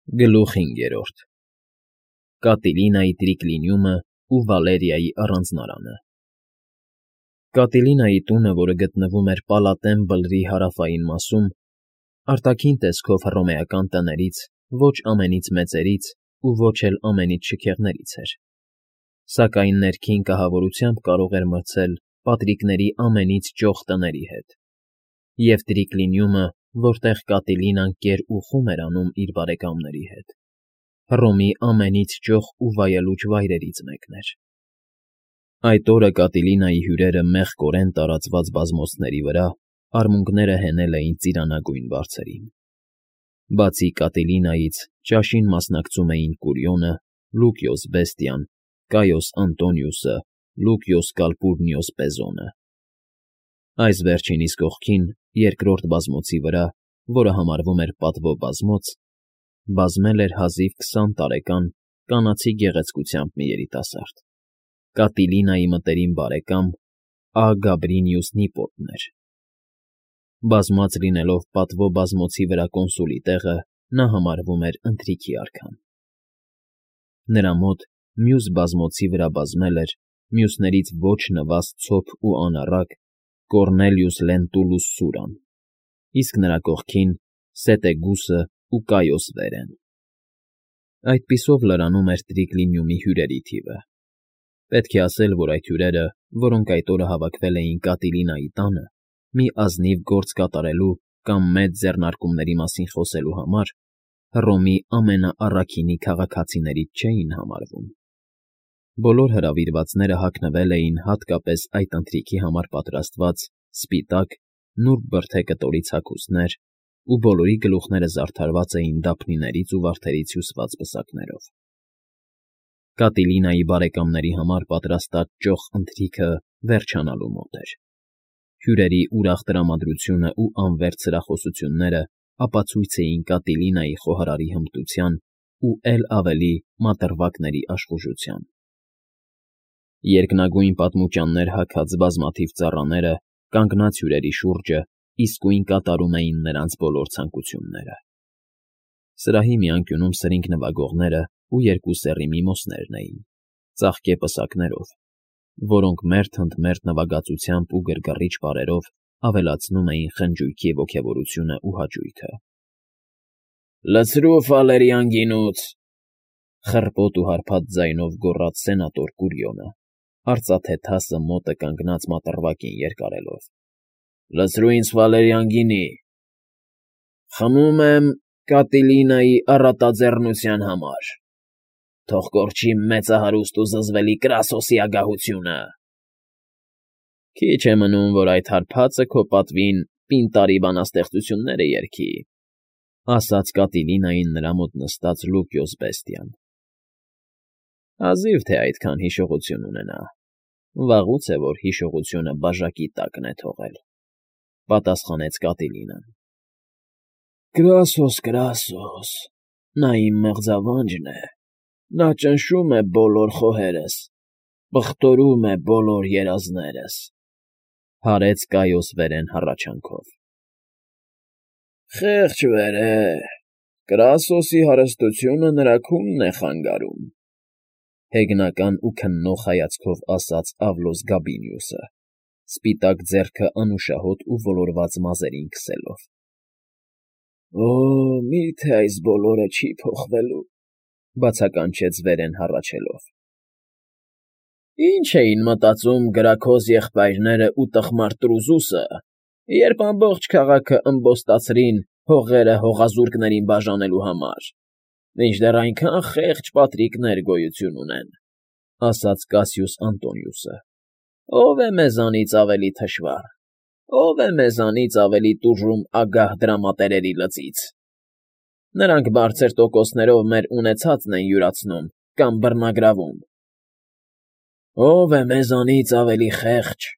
Գլուխ 5 Կատիլինայի տրիկլինիումը ու Վալերիայի առանձնարանը Կատիլինայի տունը, որը գտնվում էր Պալատեն բլրի հարավային մասում, արտաքին տեսքով հռոմեական տներից ոչ ամենից մեծերից ու ոչ էլ ամենից շքեղներից էր, սակայն ներքին կահավորությամբ կարող էր մրցել պատրիկների ամենից ճոխ տների հետ, և տրիկլինիումը, որտեղ Կատիլինան կեր ու խում էր անում իր բարեկամների հետ, Հռոմի ամենից ճոխ ու վայելուչ վայրերից մեկն էր։ Այդ օրը Կատիլինայի հյուրերը մեղկորեն տարածված բազմոցների վրա արմունկները հենել էին ծիրանագույն բարձրին։ Բացի Կատիլինայից ճաշին մասնակցում էին Կուրիոնը, Լուկիոս Բեստիան, Կայոս Անտոնիուսը, Լուկիոս Կալպուրնիոս Պեզոնը։ Այս վերջինիս կողքին, երկրորդ բազմոցի վրա, որը համարվում էր պատվո բազմոց, բազմել էր հազիվ 20 տարեկան կանացի գեղեցկությամբ մի երիտասարդ, Կատիլինայի մտերիմ բարեկամ Ա. Գաբրինիուս Նիպոտն էր։ Բազմած լինելով պատվո բազմոցի վրա կոնսուլի տեղը, նա համարվում էր ընթրիքի արքան։ Նրա մոտ մյուս բազմոցի վրա բազմել էր մյուսներից ոչ նվազ ցոփ ու անառակ Կոռնելիուս Լենտուլուս Սուրան, իսկ նրա կողքին Սետեգուսը ու Կայոս Վերեն։ Այդպիսով լրանում էր տրիկլինիումի հյուրերի թիվը։ Պետք է ասել, որ այդ հյուրերը, որոնք այդ օրը հավաքվել էին Կատիլինայի տանը, մի ազնիվ գործ կատարելու կամ մեծ ձեռնարկումների մասին խոսելու համար, Հռոմի ամենաառաքինի քաղաքացիներից չէին համարվում։ Բոլոր հրավիրվածները հագնվել էին հատկապես այդ ընթրիքի համար պատրաստված սպիտակ, նուրբ բրդե կտորից հագուստներ, ու բոլորի գլուխները զարդարված էին դափնիներից ու վարդերից հյուսված պսակներով։ Կատիլինայի բարեկամների համար պատրաստած ճոխ ընթրիքը վերջանալու մոտ էր։ Հյուրերի ուրախ տրամադրությունն ու անվերջ սրախոսությունները ապացույց էին Կատիլինայի խոհարարի հմտության ու էլ ավելի մատռվակների աշխուժության։ Երկնագույն պատմուճաններ հագած բազմաթիվ ծառաները, կանգնած հյուրերի շուրջը, իսկույն կատարում էին նրանց բոլոր ցանկությունները։ Սրահի մի անկյունում սրինգ նվագողները ու երկու սեռի միմոսներն էին, ծաղկե պսակներով, որոնք մերթ ընդ մերթ նվագածությամբ ու գրգռիչ բառերով ավելացնում էին խնջույքի ոգևորությունն ու հաճույքը։ «Լցրու Ֆալերիան գինուց,֊ խռպոտ ու հարբած ձայնով գոռաց սենատոր Կուրիոնը, արծաթե թասը մոտը կանգնած մատռվակին երկարելով։֊ Լցրու ինձ Ֆալերիան գինի… Խմում եմ Կատիլինայի առատաձեռնության համար… Թող կորչի մեծահարուստ ու զզվելի Կրասոսի ագահությունը… Քիչ է մնում, որ այդ հարբածը քո պատվին պինտարի բանաստեղծությունները երգի…֊ ասաց Կատիլինային նրա մոտ նստած Լուկիոս Բեստիան։ Հազիվ թե այդքան հիշողություն ունենա, վաղուց է, որ հիշողությունը բաժակի տակն է թողել,֊ պատասխանեց Կատիլինան։ Կրասոս, Կրասոս, նա իմ մեղձավանջն է, նա ճնշում է բոլոր խոհերս, բղտորում է բոլոր երազներս,֊ հարեց Կայոս Վերեն հառաչանքով։ Խեղճ Վերե, Կրասոսի հարստությունը նրա քունն է խանգարում,֊ հեգնական ու քննող հայացքով ասաց Ավլոս Գաբինիուսը, սպիտակ ձեռքը անուշահոտ ու ոլորված մազերին քսելով։ Օ, մի՞թե այս բոլորը չի փոխվելու,֊ բացականչեց Վերեն հառաչելով։ Ինչ էին մտածում գրաքոզ եղբայրներն ու տխմար Տրուզուսը, երբ ամբողջ քաղաքը ըմբոստացրին հողերը հողազուրկներին բաժանելու համար, մինչդեռ այնքան խեղճ պատրիկներ գոյություն ունեն,֊ ասաց Կասիուս Անտոնիուսը։ Ո՞վ է մեզանից ավելի թշվառ, ո՞վ է մեզանից ավելի տուժում ագահ դրամատերերի լծից։ Նրանք բարձր տոկոսներով մեր ունեցածն են յուրացնում կամ բռնագրավում։ Ո՞վ է մեզանից ավելի խեղճ,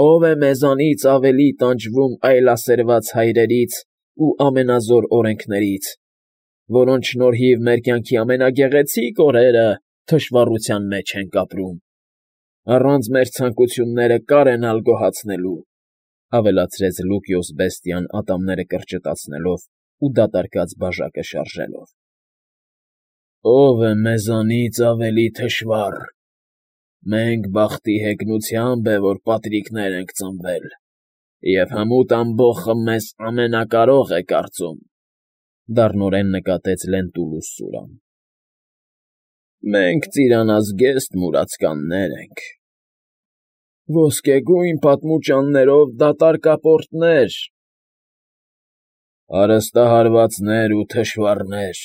ո՞վ է մեզանից ավելի տանջվում այլասերված հայրերից ու ամենազոր օրենքներից, որոնց շնորհիվ մեր կյանքի ամենագեղեցիկ օրերը թշվառության մեջ ենք ապրում, առանց մեր ցանկությունները կարենալ գոհացնելու,֊ ավելացրեց Լուկիոս Բեստիան ատամները կրճտացնելով ու դատարկած բաժակը շարժելով։ Ո՞վ է մեզանից ավելի թշվառ։ Մենք բախտի հեգնությամբ է, որ պատրիկներ ենք ծնվել, և հմուտ ամբոխը մեզ ամենակարող է կարծում,֊ դառնորեն նկատեց Լենտուլուս Սուրան։ Մենք ծիրանազգեստ մուրացկաններ ենք, ոսկեգույն պատմուճաններով դատարկապորտներ, հարստահարվածներ ու թշվառներ,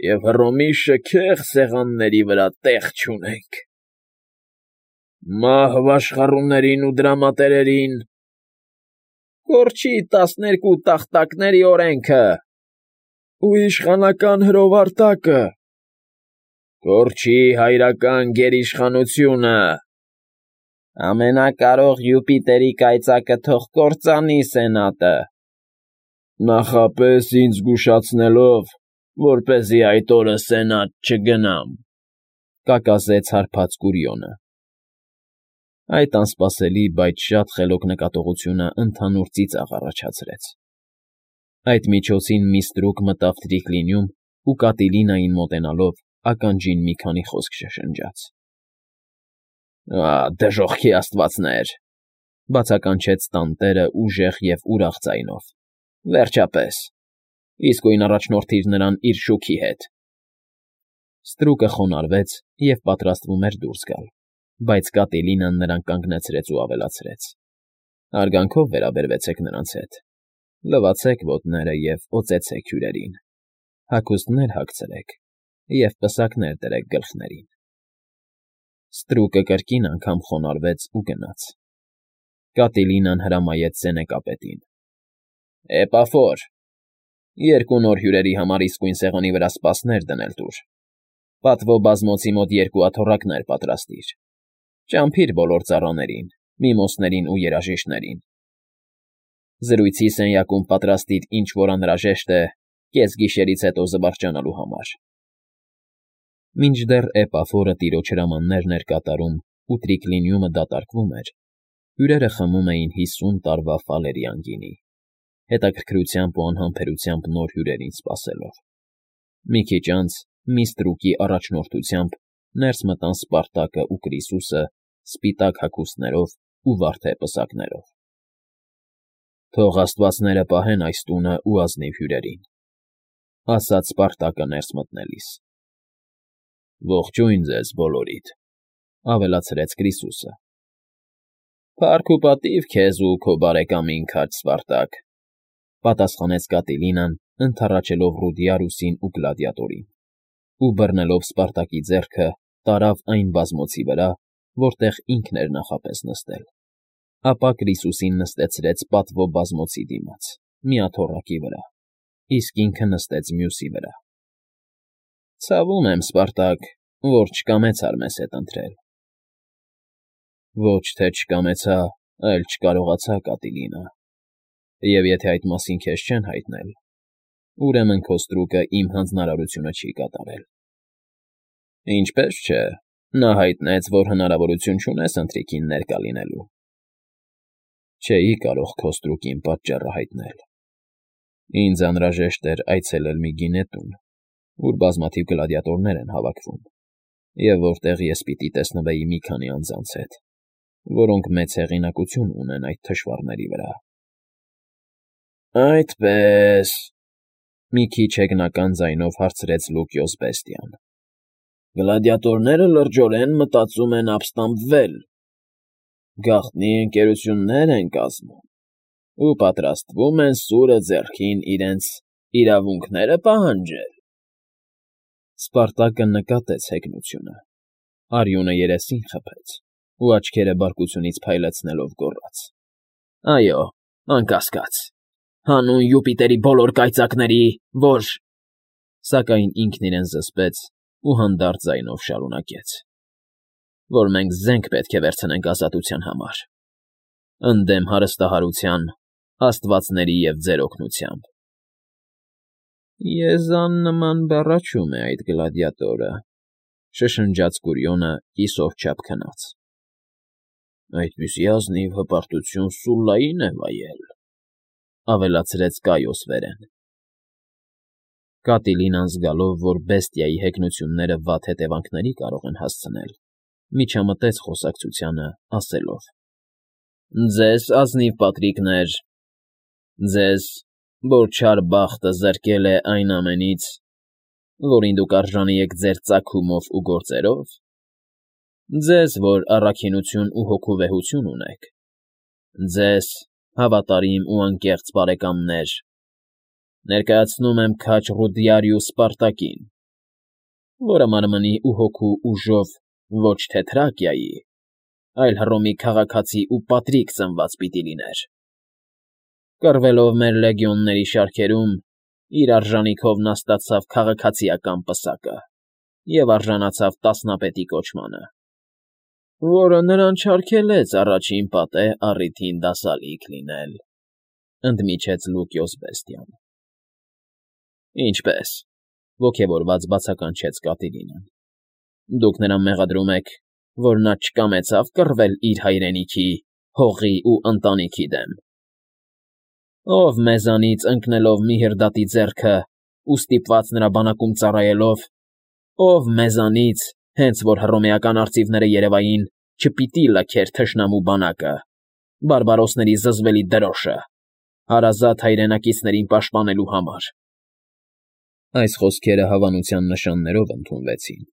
և Հռոմի շքեղ սեղանների վրա տեղ չունենք։ Մահ վաշխառուներին ու դրամատերերին, կորչի 12 տախտակների օրենքը ու իշխանական հրովարտակը, կորչի հայրական գերիշխանությունը, ամենակարող Յուպիտերի կայծակը թող կործանի Սենատը, նախապես ինձ զգուշացնելով, որպեսզի այդ օրը Սենատ չգնամ,֊ կակասեց հարբած Կուրիոնը։ Այդ անսպասելի, բայց շատ խելոք նկատողությունը ընդհանուր ծիծաղ առաջացրեց։ Այդ միջոցին մի ստրուկ մտավ տրիկլինիում ու Կատիլինային մոտենալով ականջին մի քանի խոսք շշնջաց։ Դժոխքի աստվածներ,֊ բացականչեց տանտերը ուժեղ և ուրախ ձայնով,֊ վերջապես, իսկույն առաջնորդիր նրան իր շուքի հետ։ Ստրուկը խոնարհվեց և պատրաստվում էր դուրս գալ, բայց Կատիլինան նրան կանգնեցրեց ու ավելացրեց. «Հարգանքով վերաբերվեցեք նրանց հետ, լվացեք ոտները և օծեցեք հյուրերին, հագուստներ հագցրեք և պսակներ դրեք գլխներին»։ Ստրուկը կրկին անգամ խոնարհվեց ու գնաց։ Կատիլինան հրամայեց սենեկապետին. «Էպաֆոր, 2 նոր հյուրերի համար իսկույն սեղանի վրա սպասներ դնել տուր, պատվո բազմոցի մոտ 2 աթոռակներ պատրաստիր, ճամփիր բոլոր ծառաներին, միմոսներին ու երաժիշտներին։ Զրույցի սենյակում պատրաստիր ինչ որ անհրաժեշտ է կեսգիշերից հետո զվարճանալու համար»։ Մինչդեռ Էպաֆորը տիրոջ հրամաններն էր կատարում ու տրիկլինիումը դատարկվում էր, հյուրերը խմում էին 50 տարվա Ֆալերիան գինի, հետաքրքրությամբ ու անհամբերությամբ նոր հյուրերին սպասելով։ Մի քիչ անց, մի ստրուկի առաջնորդությամբ ներս մտան Սպարտակն ու Կրիսուսը սպիտակ հագուստներով ու վարդե պսակներով։ «Թող աստվածները պահեն այս տունն ու ազնիվ հյուրերին,֊ ասաց Սպարտակը ներս մտնելիս։ Ողջույն ձեզ բոլորիդ,֊ ավելացրեց Կրիսուսը։ Փառք ու պատիվ քեզ ու քո բարեկամին, քաջ Սպարտակ,֊ պատասխանեց Կատիլինան, ընդառաջելով Ռուդիարուսին ու Գլադիատորին, ու բռնելով Սպարտակի ձեռքը տարավ այն բազմոցի վրա, որտեղ ինքն էր նախապես նստել, ապա Կրիսուսին նստեցրեց պատվո բազմոցի դիմաց, մի աթոռակի վրա, իսկ ինքը նստեց մյուսի վրա։ Ցավում եմ, Սպարտակ, որ չկամեցար մեզ հետ ընթրել։ Ոչ թե չկամեցա, այլ չկարողացա, Կատիլինա, և եթե այդ մասին քեզ չեն հայտնել, ուրեմն քո ստրուկը իմ հանձնարարությունը չի կատարել։ Ինչպես չէ, նա հայտնեց, որ հնարավորություն չունես ընթրիքին ներկա լինելու։ Չէի կարող քո ստրուկին պատճառը հայտնել։ Ինձ անհրաժեշտ էր այցելել մի գինետուն, ուր բազմաթիվ գլադիատորներ են հավաքվում, և որտեղ ես պիտի տեսնվեի մի քանի անձանց հետ, որոնք մեծ հեղինակություն ունեն այդ թշվառների վրա։ Այդպե՜ս,֊ մի քիչ հեգնական ձայնով հարցրեց Լուկիոս Բեստիան։ Գլադիատորները լրջորեն մտածում են ապստամբվել, գաղտնի ընկերություններ են կազմում ու պատրաստվում են սուրը ձեռքին իրենց իրավունքները պահանջել։ Սպարտակը նկատեց հեգնությունը, արյունը երեսին խփեց ու աչքերը բարկությունից փայլեցնելով գոռաց. Այո, անկասկած, հանուն Յուպիտերի բոլոր կայծակների, որ… Սակայն ինքն իրեն զսպեց ու հանդարտ ձայնով շարունակեց. Որ մենք զենք պետք է վերցնենք ազատության համար, ընդդեմ հարստահարության, աստվածների և ձեր օգնությամբ։ Եզան բառաչում է այդ գլադիատորը,֊ շշնջաց Կուրիոնը կիսով չափ քնած։ Այդպիսի ազնիվ հպարտություն Սուլլային է վայել,֊ ավելացրեց Կայոս Վերեն։ Կատիլինան զգալով, որ բեստիայի հեգնությունները վատ հետևանքների կարող են հասցնել, միջամտեց խոսակցությանը, ասելով. «Ձեզ ազնիվ պատրիկներ, ձեզ, որ չար բախտը զրկել է այն ամենից, որին դուք արժանի եք ձեր ծագումով ու գործերով, ձեզ, որ առաքինություն ու հոգուվեհություն ունեք, ձեզ, հավատարիմ ու անկեղծ բարեկամներ, ներկայացնում եմ քաջ Ռուդիարիուս Սպարտակին, որը մարմնի ու հոգու ուժով ոչ թե Թրակիայի, այլ Հռոմի քաղաքացի ու պատրիկ ծնված պիտի լիներ. կռվելով մեր լեգիոնների շարքերում, իր արժանիքով նա ստացավ քաղաքացիական պսակը և արժանացավ տասնապետի կոչմանը, որը նրան չարգելեց առաջին պատե առիթին դասալիք լինել», ընդմիջեց Լուկիոս բեստիան։ «Ինչպե՞ս,» ոգևորված բացականչեց Կատիլինան։ «Դուք նրան մեղադրում եք, որ նա չկամեցավ կռվել իր հայրենիքի, հողի ու ընտանիքի դեմ։ Ով մեզանից ընկնելով Միհրդատի ձեռքը ու ստիպված նրա բանակում ծառայելով, ով մեզանից, հենց որ հռոմեական արծիվները երևային, չպիտի լքեր թշնամու բանակը, բարբարոսների զզվելի դրոշը, հարազատ հայրենակիցներին պաշտպանելու համար»։ Այս խոսքերը հավանության նշաններով ընդունվեցին,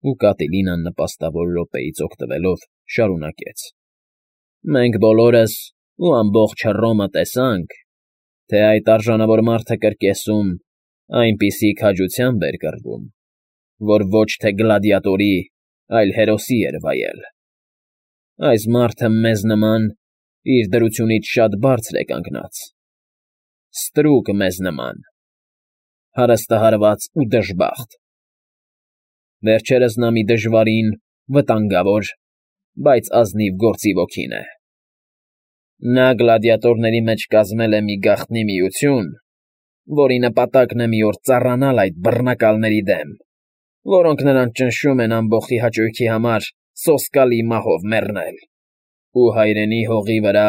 ու Կատիլինան նպաստավոր րոպեից օգտվելով շարունակեց. «Մենք բոլորս ու ամբողջ Հռոմը տեսանք, թե այդ արժանավոր մարդը կրկեսում այնպիսի քաջությամբ էր կռվում, որ ոչ թե գլադիատորի, այլ հերոսի էր վայել։ Այս մարդը մեզ նման իր դրությունից շատ բարձր է կանգնած, ստրուկ մեզ նման, հարստահարված ու դժբախտ։ Վերջերս նա մի դժվարին, վտանգավոր, բայց ազնիվ գործի ոգին է։ Նա գլադիատորների մեջ կազմել է մի գաղտնի միություն, որի նպատակն է մի օր ծառանալ այդ բռնակալների դեմ, որոնք նրան ճնշում են ամբոխի հաճույքի համար սոսկալի մահով մեռնել ու հայրենի հողի վրա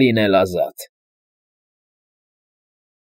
լինել ազատ։